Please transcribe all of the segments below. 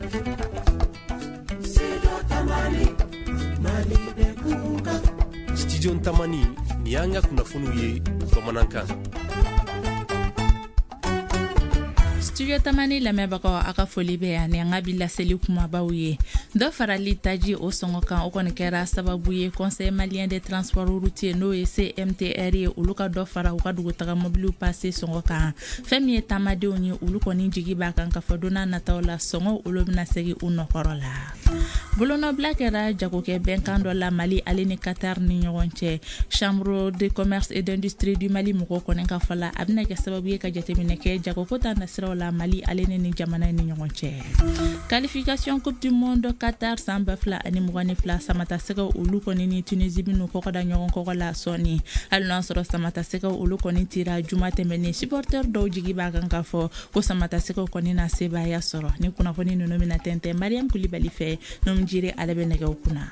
Studio Tamani, nin y'an ka kunnafoniw ye bamanankan. Studio Tamani lamɛnbagaw, a ka foli bɛ yan ni an ka bi laseli kumabaw ye. Dɔ farali taji o sɔngɔ kan, o kɔni kɛra sababu ye Conseil malien des transports routiers, n'o ye CMTR ye, olu ka dɔ fara u ka dugutaga mobiliw pase sɔngɔ kan. Fɛn min ye taamadenw ye, olu kɔni jigi b'a kan k'a fɔ don n'a nataw la, sɔngɔ olu bɛna segin u nɔkɔrɔ la. Bolonɔbila kɛra jagokɛ bɛnkan dɔ la Mali ale ni Qatar ni ɲɔgɔn cɛ. Chambre de commerce et d'industrie du Mali mɔgɔw kɔni ka fɔ la, a bɛna kɛ sababu ye ka jateminɛ kɛ jagoko ta nasiraw la Mali ale ni jamana ni ɲɔgɔn cɛ. Qualification Coupe du monde Qatar san 2022, Samatasɛgɛw olu kɔni ni Tunisie bɛn'u kɔgɔ da ɲɔgɔn kɔgɔ la sɔɔni. Hali n'a sɔrɔ Samatasɛgɛw olu kɔni tira juma tɛmɛnen, supporter dɔw jigi b'a kan k'a fɔ ko Samatasɛgɛw kɔni na sebaaya sɔrɔ. Ni kunnafoni ninnu bɛna tɛntɛn Mariam Kulibali fɛ, Numu Jire ale bɛ nɛgɛw kunna.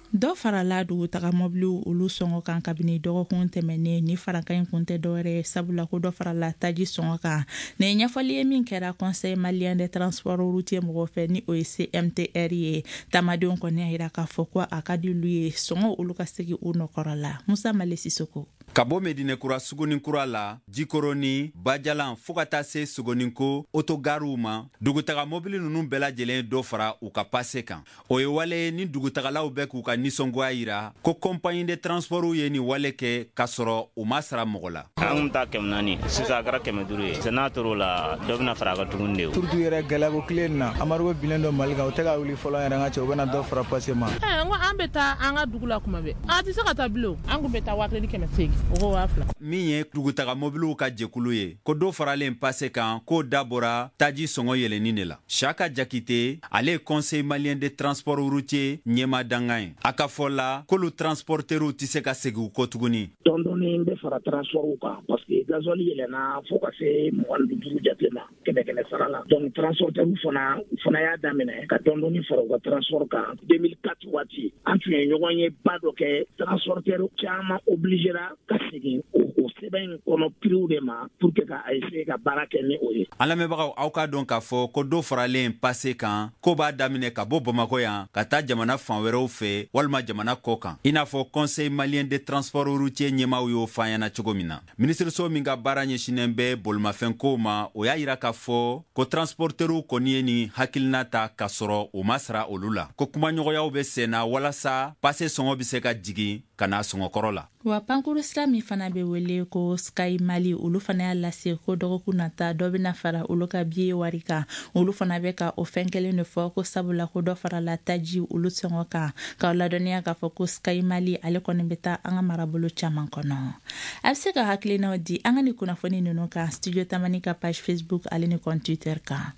Dɔ farala dugutaga mɔbiliw olu sɔngɔ kan kabini dɔgɔkun tɛmɛnen. Ni farankan in kun tɛ dɔwɛrɛ ye, sabula ko dɔ farala taji sɔngɔ kan. Nin ye ɲɛfɔli ye min kɛra Conseil malien des transports routiers mɔgɔw fɛ, ni o ye CMTR ye. Taamadenw kɔni y'a yira k'a fɔ ko a ka di olu ye sɔngɔ olu ka segin u nɔkɔrɔ la. Musa Male Sisoko. Ka bɔ Medinɛkura Suguninkura la, Jikɔrɔni, Bajalan, fɔɔ ka taa se Sogoninko otogariw ma, dugutaga mobili ninnu bɛɛ lajɛlen dɔ fara u ka pase kan. O ye wale ye ni dugutagalaw bɛ k'u ka nisɔngoya yira ko compagnie de transportw ye nin wale kɛ k'a sɔrɔ u ma sara mɔgɔ la. An kun taa 400, sisan a kɛra 500 ye. N'a tor'o la, dɔ bɛna fara a kan tuguni de. Surtout yɛrɛ gɛlɛyako tile in na, embargo binnen don Mali kan, u tɛ ka wuli fɔlɔ yɛrɛ, n ka cɛ, u bɛna dɔ fara pase ma. N ko an bɛ taa an ka dugu la kuma bɛɛ, an tɛ se ka taa bilen. An kun bɛ taa 1800, o ko 2000. Min ye dugutaga mobiliw ka jɛkulu ye, ko dɔ faralen pase kan, k'o dabɔra taji sɔngɔ yɛlɛnni de la. Saka Jakite, ale ye Conseil malien de transport routier ɲɛma dangan ye. A ka fɔ la k'olu transporteriw tɛ se ka segin u kɔ tuguni. Dɔɔni bɛ fara transportw kan, parce que gasoil yɛlɛnna fo ka se 25 jate ma kɛmɛ kɛmɛ sara la. Donc transporteurs fana, u fana y'a daminɛ ka dɔɔni fara u ka transport kan. 2004 waati, an tun ye ɲɔgɔn ye ba dɔ kɛ, transporteur caman obligera ka segin o sɛbɛn in kɔnɔ prix de ma pour que ka essayer ka baara kɛ ni o ye. An lamɛnbagaw, aw k'a dɔn k'a fɔ ko dɔ faralen pase kan, ko b'a daminɛ ka bɔ Bamakɔ yan ka taa jamana fan wɛrɛw fɛ walima jamana kɔ kan, i n'a fɔ Conseil malien de transport routier ɲɛmaaw y'o fɔ an ɲɛna cogo min na. Minisiriso min ka baara ɲɛsinnen bɛ bolimafɛnkow ma, o y'a yira k'a fɔ ko transporteriw kɔni ye nin hakilina ta k'a sɔrɔ u ma sara olu la, ko kumaɲɔgɔnyaw bɛ sen na walasa pase sɔngɔ bɛ se ka jigin ka na sɔngɔkɔrɔ la. Wa pankuru sira min fana bɛ wele ko Sky Mali, olu fana y'a lase ko dɔgɔkun nata, dɔ bɛna fara olu ka biye wari kan. Olu fana bɛ ka o fɛn kelen de fɔ ko sabula ko dɔ farala taji olu sɔngɔ kan. K'aw ladɔnniya k'a fɔ ko Sky Mali ale kɔni bɛ taa an ka marabolo caman kɔnɔ. A bɛ se ka hakilinaw di an ka nin kunnafoni ninnu kan Studio Tamani ka page Facebook ale ni compte Twitter kan.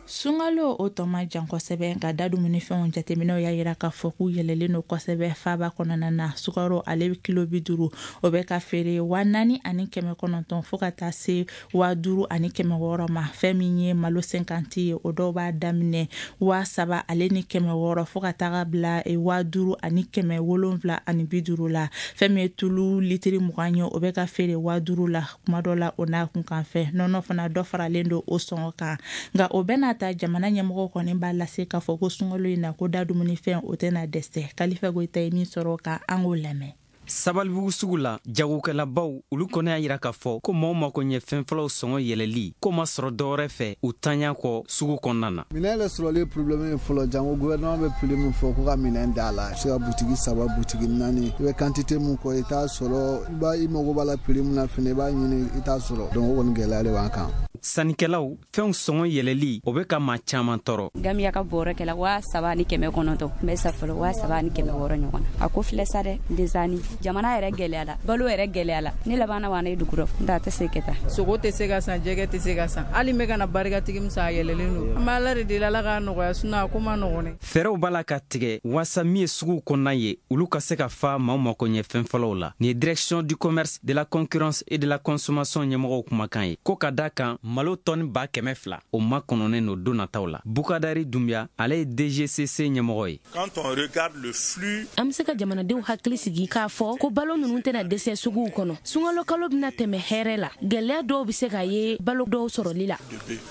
Sunkalo o tɔ man jan kosɛbɛ, nka da dumunifɛnw jateminɛw y'a yira k'a fɔ k'u yɛlɛlen don kosɛbɛ faaba kɔnɔna na. Sukaro ale kilo 50, o bɛ ka feere 4900 fo ka taa se 5600 ma. Fɛn min ye malo 50 ye, o dɔw b'a daminɛ 3600 fo ka taga bila 5750 la. Fɛn min ye tulu litiri 20 ye, o bɛ ka feere 5000 la, kuma dɔ la o n'a kunkan fɛ. Nɔnɔ fana, dɔ faralen don o sɔngɔ kan. Nka o bɛɛ n'a ta, jamana ɲɛmɔgɔ kɔni b'a lase k'a fɔ ko sunkalo in na, ko da dumunifɛn o tɛna dɛsɛ. Kalifa Goyita ye min sɔrɔ ka an k'o lamɛn. Sabalibugu sugu la, jagokɛlabaw olu kɔni y'a yira k'a fɔ ko maaw mako ɲɛ fɛn fɔlɔw sɔngɔ yɛlɛli ko ma sɔrɔ dɔwɛrɛ fɛ u tanya kɔ sugu kɔnɔna na. Minɛn yɛrɛ sɔrɔli problème ye fɔlɔ, janko gouvernement bɛ prix min fɔ ko ka minɛn da la. I bɛ se ka butigi saba, butigi naani, i bɛ quantité mun kɔ, i t'a sɔrɔ. I b'a i mago b'a la prix mun na fɛnɛ, i b'a ɲini, i t'a sɔrɔ. Donc o kɔni gɛlɛya de b'an kan. Sannikɛlaw, fɛnw sɔngɔ yɛlɛli o bɛ ka maa caman tɔɔrɔ. Gamiya ka bɔrɔ kɛla 3900, n bɛ sa fɔlɔ 3600 ɲɔgɔn na. A ko filɛ sa dɛ, desani jamana yɛrɛ gɛlɛyala, balo yɛrɛ gɛlɛyala, ne labanna wa ne dugu rɔ n t'a tɛ se kɛ tan. Sogo tɛ se ka san, jɛgɛ tɛ se ka san, hali n bɛ ka na barikatigi min san, a yɛlɛlen don. An bɛ Ala de deli, Ala k'a nɔgɔya, sinon a ko ma nɔgɔn dɛ. Fɛɛrɛw b'a la ka tigɛ waasa min ye suguw kɔnɔna ye, olu ka se ka fa maaw mako ɲɛ fɛn fɔlɔw la. Nin ye Direction du commerce, de la concurrence et de la consommation ɲɛmɔgɔw kumakan ye, ko ka da kan malo tɔni 200,000 o makɔnɔnen don don nataw la. Bukadari Dunbiya, ale ye DGCC ɲɛmɔgɔ ye. Quand on regarde le flux, an bɛ se ka jamanadenw hakili sigi k'a fɔ ko balo ninnu tɛna dɛsɛ suguw kɔnɔ. Sunkalo kalo bɛna tɛmɛ hɛrɛ la. Gɛlɛya dɔw bɛ se ka ye balo dɔw sɔrɔli la.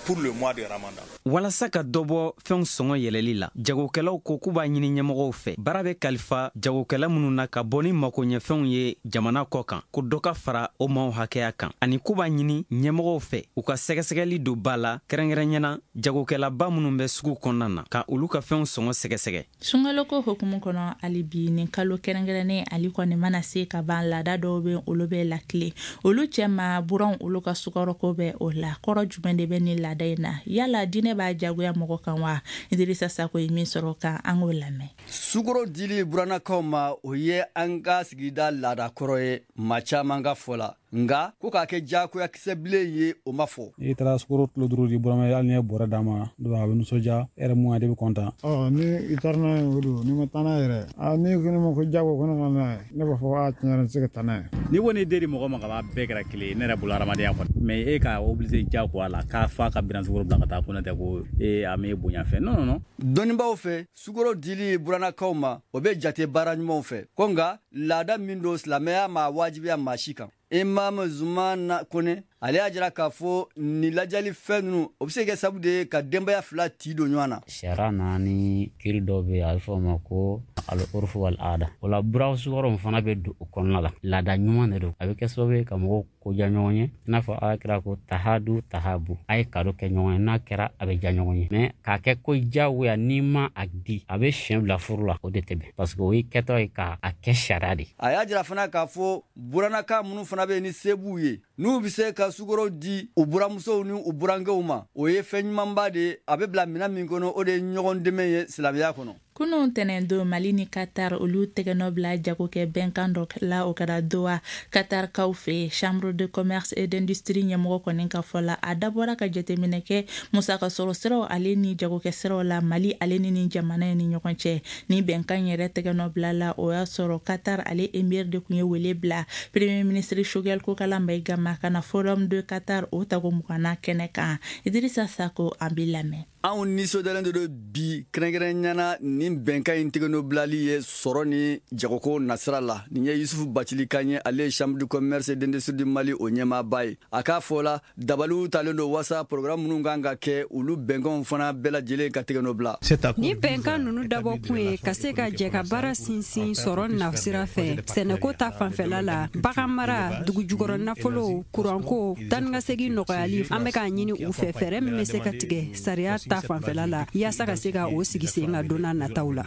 Pour le mois de Ramadan. Walasa ka dɔ bɔ fɛnw sɔngɔ yɛlɛli la, jagokɛlaw ko k'u b'a ɲini ɲɛmɔgɔw fɛ, baara bɛ kalifa jagokɛla minnu na ka bɔ ni makoɲɛfɛnw ye jamana kɔ kan, ko dɔ ka fara o maaw hakɛya kan, ani k'u b'a ɲini ɲɛmɔgɔw fɛ u ka sɛgɛsɛgɛli don ba la, kɛrɛnkɛrɛnyana jagokɛlaba minnu bɛ sugu kɔnɔna na, ka olu ka fɛnw sɔngɔ sɛgɛsɛgɛ. Sunkaloko hukumu kɔnɔ hali bi, nin kalo kɛrɛnkɛrɛnnen ale kɔni mana se ka ban, laada dɔw bɛ olu bɛ lakile olu cɛma, buranw olu ka sukaroko bɛ o la. Kɔrɔ jumɛn de bɛ nin laada in na? Yala diinɛ b'a jagoya mɔgɔ kan wa? Idrissa Sako ye min sɔrɔ kan, an k'o lamɛn. Sukaro dili burannakaw ma, o ye an ka sigida laada kɔrɔ ye maa caman ka fɔ la, nka ko k'a kɛ diyagoya kisɛ bilen ye, o ma fɔ. N'i taara sukaro kilo 5 di burama ye, hali n'i ye bɔrɛ d'a ma, a bɛ nisɔndiya, e yɛrɛ mun de bɛ kɔntan. Ɔ ni i taara n'a ye, o don, n'i ma taa n'a yɛrɛ, n'i ko ne ma ko jago ko ne ka n'a ye, ne b'a fɔ a tiɲɛ yɛrɛ, n tɛ se ka taa n'a ye. N'i ko n'i den di mɔgɔ ma ka ban, bɛɛ kɛra kelen ye ne yɛrɛ bolo hadamadenya kɔnɔ, mais e ka obligé jagoya la k'a fa ka biran sukaro bila ka taa ko ne tɛ ko ee a m'e bonya fɛ, non non non. Dɔnnibaaw fɛ, sukaro dili burannakaw ma, o bɛ jate baara ɲumanw fɛ, ko nka laada min don, silamɛya ma wajibiya maa si kan. Imam Zumana Kone, ale y'a jira k'a fɔ nin lajali fɛn ninnu, o bɛ se ka kɛ sababu de ye ka denbaya fila ti don ɲɔgɔn na. Sariya nana ni kiri dɔ bɛ yen, a bɛ fɔ o ma ko al-urfu wal-aada. O la buraw sukaro fana bɛ don o kɔnɔna la. Laada ɲuman de don, a bɛ kɛ sababu ye ka mɔgɔw koja ɲɔgɔn ye, i n'a fɔ ala kira ko tahadu tahabu, a ye kado kɛ ɲɔgɔn ye, n'a kɛra a bɛ diya ɲɔgɔn ye. Mais k'a kɛ ko diyagoya, n'i ma a di, a bɛ siɲɛ bila furu la, o de tɛ bɛn, parce que o ye kɛtɔ ye k'a kɛ sariya de. A y'a jira fana k'a fɔ burannaka minnu fana bɛ yen ni se b'u ye, n'u bɛ se ka sukaro di u buramusow ni u burankɛw ma, o ye fɛn ɲumanba de ye. A bɛ bila minɛn min kɔnɔ, o de ye ɲɔgɔn dɛmɛ ye silamɛya kɔnɔ. Kunun tɛnɛndon, Mali ni Qatar olu tɛgɛnɔ bila jagokɛ bɛnkan dɔ la, o kɛra Doha Qatarkaw fɛ. Chambre de commerce et d'industrie ɲɛmɔgɔ kɔni ka fɔ la, a dabɔra ka jateminɛ kɛ musaka sɔrɔ siraw ale ni jagokɛ siraw la Mali ale ni nin jamana in ni ɲɔgɔn cɛ. Ni bɛnkan yɛrɛ tɛgɛnɔ bila la, o y'a sɔrɔ Qatar ale émir de tun ye wele bila premier ministre Choguel Kokalla Maïga ma ka na forum de Qatar o tago 20nan kɛnɛ kan. Idrissa Sako, an b'i lamɛn. Anw nisɔndiyalen de don bi, kɛrɛnkɛrɛnyana nin bɛnkan in tɛgɛnɔ bilali ye sɔrɔ ni jagoko nasira la. Nin ye Yusufu Bacili kan ye, ale ye chambre de commerce et d'industrie du Mali o ɲɛmaaba ye. A k'a fɔ la, dabaliw talen don wasa programme minnu kan ka kɛ, olu bɛnkanw fana bɛɛ lajɛlen ka tɛgɛnɔ bila. Ni bɛnkan ninnu dabɔ kun ye ka se ka jɛ ka baara sinsin sɔrɔ nasira fɛ, sɛnɛko ta fanfɛla la, bagan mara, dugujukɔrɔ nafolo, kuranko, taanikasegin nɔgɔyali. An bɛ k'a ɲini u fɛ fɛɛrɛ min bɛ se ka tigɛ sariya ta fanfɛla la, yaasa ka se ka o sigi sen ka don n'a nataw la.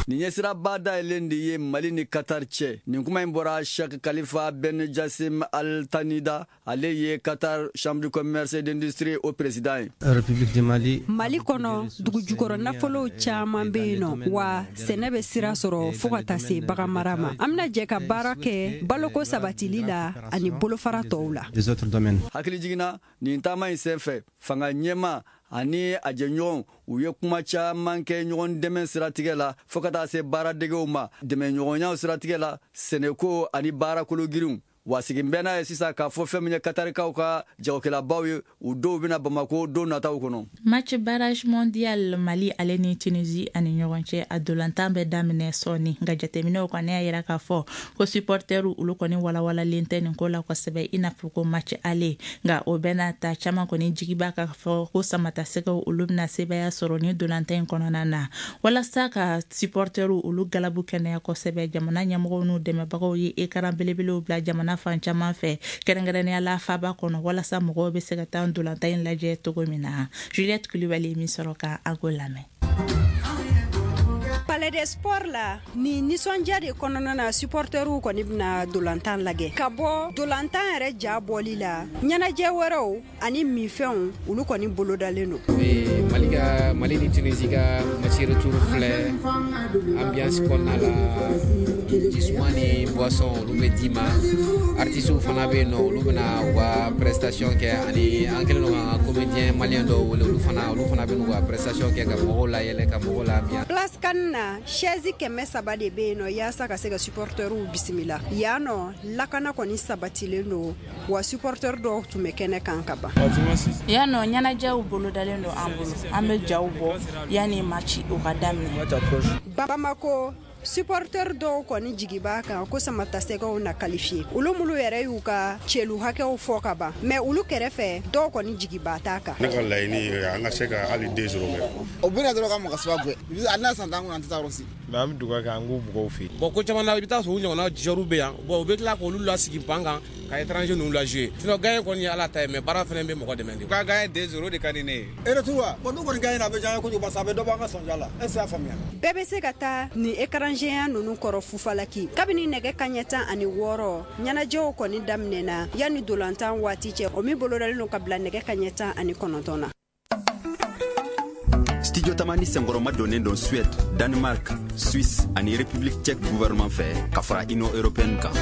Nin ye siraba dayɛlɛn de ye Mali ni Qatar cɛ. Nin kuma in bɔra Sheikh Khalifa Ben Jassim Al Tanida, ale ye Qatar chambre de commerce et d'industrie o président ye. République du Mali. Mali kɔnɔ, dugujukɔrɔ nafolow caman bɛ yen nɔ, wa sɛnɛ bɛ sira sɔrɔ fo ka taa se bagan mara ma. An bɛna jɛ ka baara kɛ baloko sabatili la ani bolofara tɔw la. Hakili jiginna nin taama in senfɛ, fanga ɲɛma ani a jɛɲɔgɔnw, u ye kuma caman kɛ ɲɔgɔn dɛmɛ siratigɛ la, fo ka taa se baaradegew ma, dɛmɛɲɔgɔnyaw siratigɛ la, sɛnɛko ani baarakologirinw. Wa sigin bɛ n'a ye sisan k'a fɔ fɛn min ye Katarikaw ka jagokɛlabaw ye, u dɔw bɛna Bamako don nataw kɔnɔ. Match barrage mondial, Mali ale ni Tunisie ani ɲɔgɔn cɛ, a dolantan bɛ daminɛ sɔɔni, nka jateminɛw kɔni y'a yira k'a fɔ ko supporteru olu kɔni walawalalen tɛ nin ko la kosɛbɛ, i n'a fɔ ko match aller. Nka o bɛɛ n'a ta, caman kɔni jigi b'a k'a fɔ ko samatasɛgɛw olu bɛna sebaaya sɔrɔ ni dolantan in kɔnɔna na. Walasa ka supporteru olu galabu kɛnɛya kosɛbɛ, jamana ɲɛmɔgɔw n'u dɛmɛbagaw ye écran belebelew bila jamana fan caman fɛ, kɛrɛnkɛrɛnnenya la faba kɔnɔ, walasa mɔgɔw bɛ se ka taa dolantan in lajɛ cogo min na. Juliette Kulibali min sɔrɔ ka an k'o lamɛn. Palais des Sports la, ni nisɔndiya de kɔnɔna na, supporteriw kɔni bɛna dolantan lajɛ. Ka bɔ dolantan yɛrɛ ja bɔli la, ɲɛnajɛ wɛrɛw ani minfɛnw olu kɔni bolodalen don. Mali ka Mali ni Tunisie ka match retour filɛ, ambiance kɔnɔna la, Jisuma ni boisson olu bɛ d'i ma. Artistes fana bɛ yen nɔ, olu bɛna u ka prestation kɛ, ani an kɛlen don k'an ka comédien malien dɔw wele, olu fana bɛ n'u ka prestation kɛ ka mɔgɔw layɛlɛ, ka mɔgɔw labiya. Place CAN na, chaise 300 de bɛ yen nɔ yaasa ka se ka supporteriw bisimila. Yan nɔ, lakana kɔni sabatilen don, wa supporter dɔw tun bɛ kɛnɛ kan ka ban. Yan nɔ, ɲɛnajɛw bolodalen don an bolo, an bɛ jaw bɔ yanni match o ka daminɛ. Bamako supporter dɔw kɔni jigi b'a kan ko samatasɛgɛw na qualifié. Olu minnu yɛrɛ y'u ka celu hakɛw fɔ ka ban, mais olu kɛrɛfɛ dɔw kɔni jigiba t'a kan. Ne ka laɲini ye an ka se ka hali 2-0 kɛ. O bɛna dɔrɔn ka mɔgɔ saba gɛn, a n'a san t'an kun, an tɛ taa yɔrɔ si. Mais an bɛ dugawu kɛ an k'u mɔgɔw fɛ yen. Bon, ko caman na, i bɛ taa sɔrɔ u ɲɔgɔnna joueurs bɛ yan, bon, u bɛ tila k'olu lasigi ban kan ka étranger ninnu la jouer. Sinon gagner kɔni ye Ala ta ye, mais baara fana bɛ mɔgɔ dɛmɛ de. U ka gagner 2-0 de ka di ne ye. E retour wa, bon, n'u kɔni gagner a bɛ diya an ye kojugu parce que a bɛ dɔ bɔ an ka sɔnja la. Est ce que y'a faamuya? Bɛɛ bɛ se ka taa nin écran géant ninnu kɔrɔ Fufalaki. Kabini nɛgɛ kanɲɛ 16, ɲɛnajɛw kɔni daminɛna yanni dolantan waati cɛ, o min bolodalen don ka bila nɛgɛ kanɲɛ 19 na. Studio Tamani senkɔrɔma donnen don Suède, Danemark, Suisse ani République tchèque gouvernement fɛ ka fara Union européenne kan.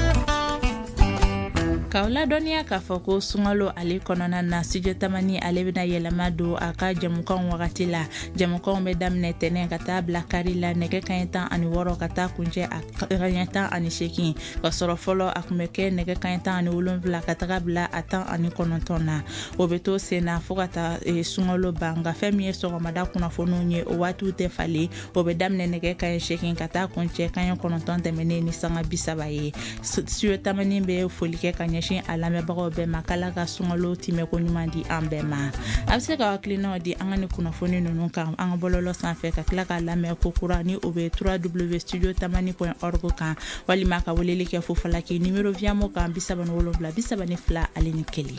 K'aw ladɔnniya k'a fɔ ko sunkalo ale kɔnɔna na, Studio Tamani ale bɛna yɛlɛma don a ka jɛmukanw wagati la. Jɛmukanw bɛ daminɛ tɛnɛn ka taa bila kari la nɛgɛ kanɲɛ 16 ka taa kuncɛ a kanɲɛ 18, ka sɔrɔ fɔlɔ a tun bɛ kɛ nɛgɛ kanɲɛ 17 ka taga bila a 19 na. O bɛ to sen na fo ka taa sunkalo ban. Nka fɛn min ye sɔgɔmada kunnafoniw ye, o waatiw tɛ falen. O bɛ daminɛ nɛgɛ kanɲɛ 8 ka taa kuncɛ kanɲɛ 9 tɛmɛnen ni sanga 30 ye. Studio Tamani bɛ foli kɛ ka ɲɛsin a lamɛnbagaw bɛɛ ma, k'Ala ka sunkalo timɛko ɲuman di an bɛɛ ma. A bɛ se ka hakilinaw di an ka ni kunnafoni ninnu kan an ka bɔlɔlɔ sanfɛ, ka tila k'a lamɛn ko kura ni o bɛ www.studiotamani.org kan, walima ka weleli kɛ Fufalaki numéro Viamo kan 77 32 01.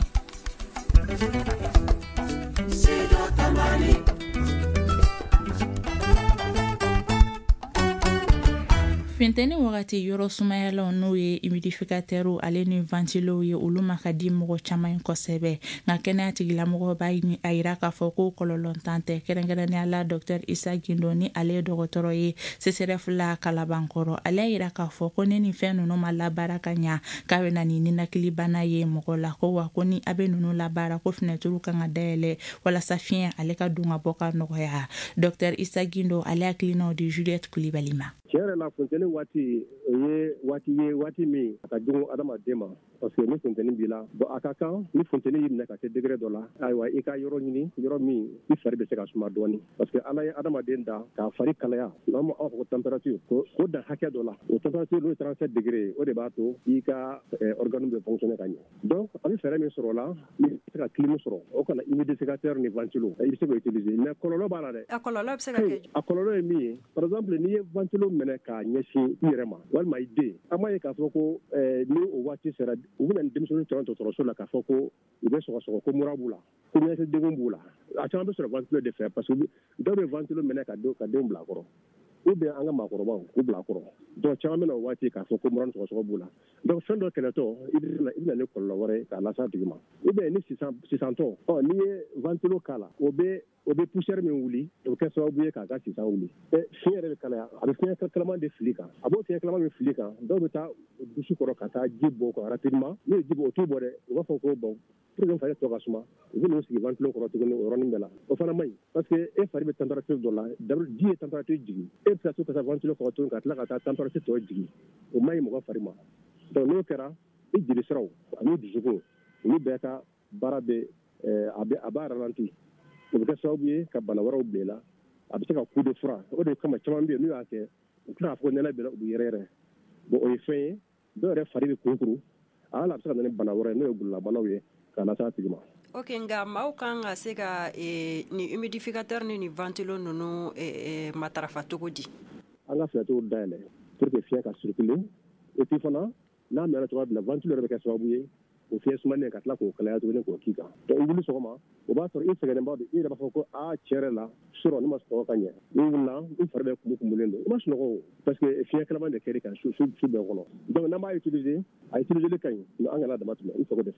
Funteni wagati yɔrɔ sumayalaw n'o ye humidificateurw ale ni ventilow ye, olu ma ka di mɔgɔ caman kosɛbɛ. Nka kɛnɛya tigilamɔgɔw b'a a yira k'a fɔ ko kɔlɔlɔntan tɛ, kɛrɛnkɛrɛnnenya la Dr Isa Gindo ni ale ye dɔgɔtɔrɔ ye CSRéf la Kalabankɔrɔ. Ale y'a yira k'a fɔ ko ni nin fɛn ninnu ma labaara ka ɲa, k'a bɛ na ni ninakilibana ye mɔgɔ la. Ko wa ko ni a bɛ ninnu labaara, ko fenɛtiriw kan ka dayɛlɛ walasa fiɲɛ ale ka don ka bɔ ka nɔgɔya. Dr Isa Gindo ale hakilinaw di Juliette Kulibali ma. Tiɲɛ yɛrɛ la, funteni waati o ye waati ye, waati min a ka jugu adamaden ma, parce que ni funteni b'i la, bon, a ka kan ni funteni y'i minɛ ka se degré dɔ la, ayiwa, i ka yɔrɔ ɲini, yɔrɔ min i fari bɛ se ka suma dɔɔni, parce que Ala ye adamaden da k'a fari kalaya, n'an b'a fɔ ko température, ko dan hakɛ dɔ la, o température n'o ye 37 degré ye, o de b'a to i ka organe bɛ fonctionner ka ɲɛ. Donc an bɛ fɛɛrɛ min sɔrɔ o la, i bɛ se ka clim sɔrɔ, o kana humidificateur ni ventilo, i bɛ se k'o utiliser, mais kɔlɔlɔ b'a la dɛ. A kɔlɔlɔ bɛ se ka kɛ? A kɔlɔlɔ ye min ye, par exemple n'i ye ventilo minɛ k'a ɲɛsin i yɛrɛ ma walima i den, an b'a ye k'a fɔ ko ni o waati sera, u bɛna ni denmisɛnnin caman dɔgɔtɔrɔso la k'a fɔ ko u bɛ sɔgɔsɔgɔ, ko mura b'u la, ko ɲɛnakili b'u la. A caman bɛ sɔrɔ ventilo de fɛ, parce que dɔw bɛ ventilo minɛ ka denw bila a kɔrɔ, ou bien an ka maakɔrɔbaw k'u bila a kɔrɔ. Donc caman bɛ na o waati k'a fɔ ko mura ni sɔgɔsɔgɔ b'u la. Donc fɛn dɔ kɛlɛtɔ, i bɛ na ni kɔlɔlɔ wɛrɛ ye k'a lase a tigi ma. Ou bien ni sisantɔ, ɔ n'i ye ventilo k'a la, o bɛ poussière min wuli, o bɛ kɛ sababu ye k'a ka sisan wuli. Fiɲɛ yɛrɛ bɛ kalaya, a bɛ fiɲɛ kalaman de fili kan. A b'o fiɲɛ kalaman min fili kan, dɔw bɛ taa dusu kɔrɔ ka taa ji bɔ kan rapidement. N'u ye ji bɔ, o t'u bɔ dɛ, u b'a fɔ ko bon, pour que fari tɔ ka suma, u bɛ n'u sigi ventilo kɔrɔ tuguni o yɔrɔnin bɛɛ la. O fana man ɲi, parce que e fari bɛ température dɔ la, ji ye température jigin, e bɛ se ka to ka taa ventilo kɔrɔ tuguni ka tila ka taa température tɔ jigin, o man ɲi mɔgɔ fari ma. Donc n'o kɛra, i jeli siraw ani dusukun, olu bɛɛ ka baara bɛ a b'a ralenti. O bɛ kɛ sababu ye ka bana wɛrɛw bila i la. A bɛ se ka coup de fura. O de kama caman bɛ yen n'u y'a kɛ, u tila k'a fɔ ko nɛnɛ bɛ u bɛ yɛrɛ yɛrɛ. Bon, o ye fɛn ye, dɔw yɛrɛ fari bɛ kurukuru, hali a bɛ se ka na ni bana wɛrɛ ye n'o ye gololabanaw ye k'a lase a tigi ma. Ok, nka maaw kan ka se ka ni humidificateur ni ventilo ninnu matarafa cogo di? An ka fenêtres dayɛlɛ pour que fiɲɛ ka circuler, et puis fana n'a mɛnna cogoya min na, ventilo yɛrɛ bɛ kɛ sababu ye o fiɲɛ sumanen ka tila k'o kalaya tuguni k'o k'i kan. Donc i wuli sɔgɔma, o b'a sɔrɔ i sɛgɛnnenba don, i yɛrɛ b'a fɔ ko aa, tiɲɛ yɛrɛ la, surɔ ne ma sunɔgɔ ka ɲɛ. N'i wulila, i fari bɛɛ kumu-kumulen don, i ma sunɔgɔ o, parce que fiɲɛ kalaman de kɛr'i kan su bɛɛ kɔnɔ. Donc n'an b'a utiliser, a utiliser ka ɲi, mais an kana dama tɛmɛ, i sago de.